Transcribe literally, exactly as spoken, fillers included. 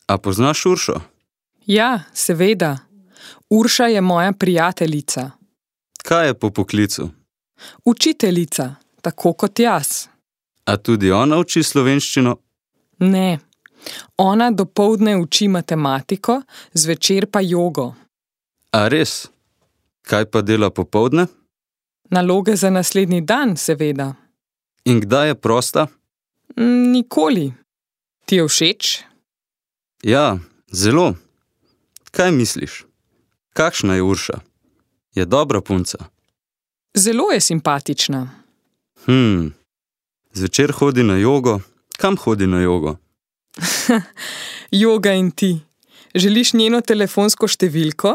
A poznaš Uršo? Ja, seveda. Urša je moja prijateljica. Kaj je po poklicu? Učiteljica, tako kot jaz. A tudi ona uči slovenščino? Ne. Ona dopoldne uči matematiko, zvečer pa jogo. A res? Kaj pa dela popoldne? Naloge za naslednji dan, seveda. In kdaj je prosta? Nikoli. Ti je všeč? Ja, zelo. Kaj misliš? Kakšna je Urša? Je dobra punca? Zelo je simpatična. Hm, zvečer hodi na jogo. Kam hodi na jogo? Joga in ti. Želiš njeno telefonsko številko?